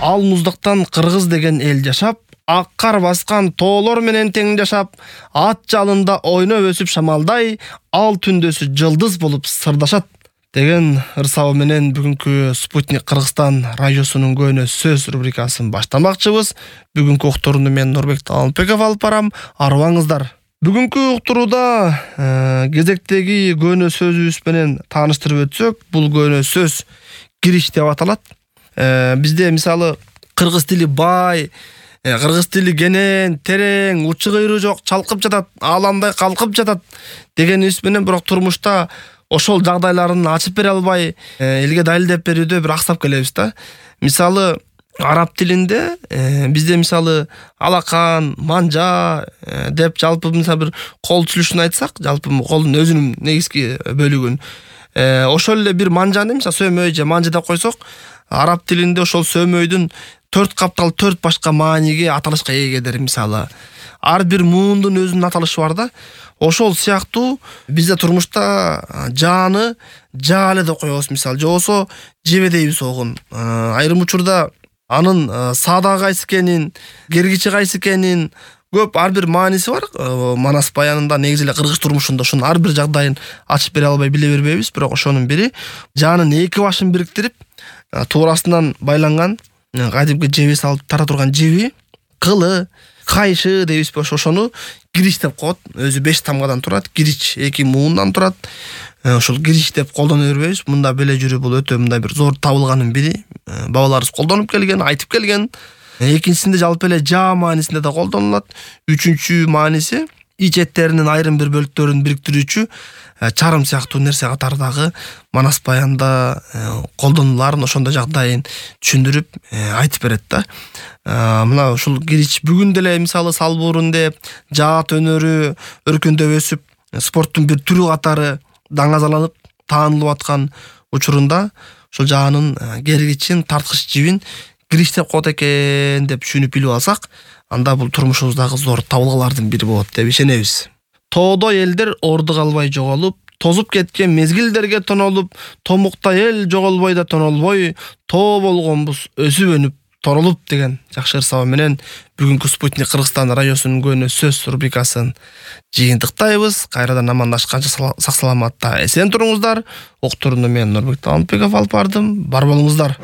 Ал муздактан кыргыз деген эл жашап, ак кар баскан тоолор менен тең жашап, ат жалында ойноп өсүп шамалдай, ал түндөсү жылдыз болуп сырдашат деген ырсабы менен бүгүнкү Спутник Кыргызстан радиосунун көөнө сөз рубрикасын баштамакчыбыз. Бүгүнкү уктурууну мен Нурбек Талантбеков алып барам. Арыбаңыздар. Бүгүнкү уктурууда кезектеги көөнө сөзүбүз менен тааныштырып өтсөк, бул көөнө сөз кириш деп аталат. Бизде мисалы кыргыз тили бай, кыргыз тили кенен, терең, учу кыйры жок, чалкып жатат, ааламдай калкып жатат дегенибиз менен бирок турмушта ошол жагдайларын ачып бере албай, элге далилдеп берүүдө бир аксап келебиз да. Мисалы араб тилинде бизде мисалы алакан, манжа деп жалпы мисалы бир кол түзүлүшүн айтсак, жалпы колдун өзүнүн негизги бөлүгүн ошол эле бир манжаны мисалы сөмөй же манжа деп койсок, араб тилинде ошол сөмөйдүн 4 каптал 4 башка мааниге аталышка ээлер. Мисалы ар бир муундун өзүнүн аталышы бар да. Ошол сыяктуу бизде турмушта жааны жаале деп коебуз мисалы, же болсо жебе дейбиз огун. Айрым учурда анын саада кайсы экенин, кергичи кайсы экенин көп ар бир мааниси бар. Манас баянында негизи эле кыргыз турмушунда ошонун ар бир жагдайын ачып бере албай биле бербейбиз, бирок ошонун бири жаанын эки башын бириктирип, туурасынан байланган кадимки жеби салып тара турган жеби, кылы, кайшы дейбиз, ошону кирич деп коет. Өзү 5 тамгадан турат, кирич 2 муундан турат. Ошол кирич деп колдоно бербейбиз. Мында беле жүрүү бул өтө мындай бир зор табылганын бири. Бабаларыбыз колдонуп келген, айтып келген. Экинчисинде жалпы эле жаа маанисинде да колдонулат. Үчүнчү мааниси ич эттеринин айрым бир бөлүктөрүн бириктирүүчү чарым сыяктуу нерсе катардагы манас баянда колдонуларын ошондой жагдайын түшүндүрүп айтып берет да. Мына ушул кирич бүгүн деле мисалы салбурунде жаат өнөрү өркүндөп өсүп, спорттун бир түрү катары даңазаланып таанылып аткан учурунда ошол жаанын кергичин, тарткыч жибин кирич деп коет экен деп түшүнүп билип алсак, анда бул турмушубуздагы зор табылгалардын бири болот деп ишенебиз. Тоодо элдер орду калбай жоголуп, тозуп кеткен мезгилдерге тонолуп, томукта эл жоголбой да тонолбой, тоо болгонбуз өсүп өнүп торолуп деген жакшы ырсабы менен бүгүнкү Спутник Кыргызстан радиосунун көөнө сөз рубрикасын жыйынтыктайбыз. Кайрадан амандашканча сак саламатта эсен туруңуздар. Уктурууну мен Нурбек Талантбеков алып бардым. Бар болуңуздар.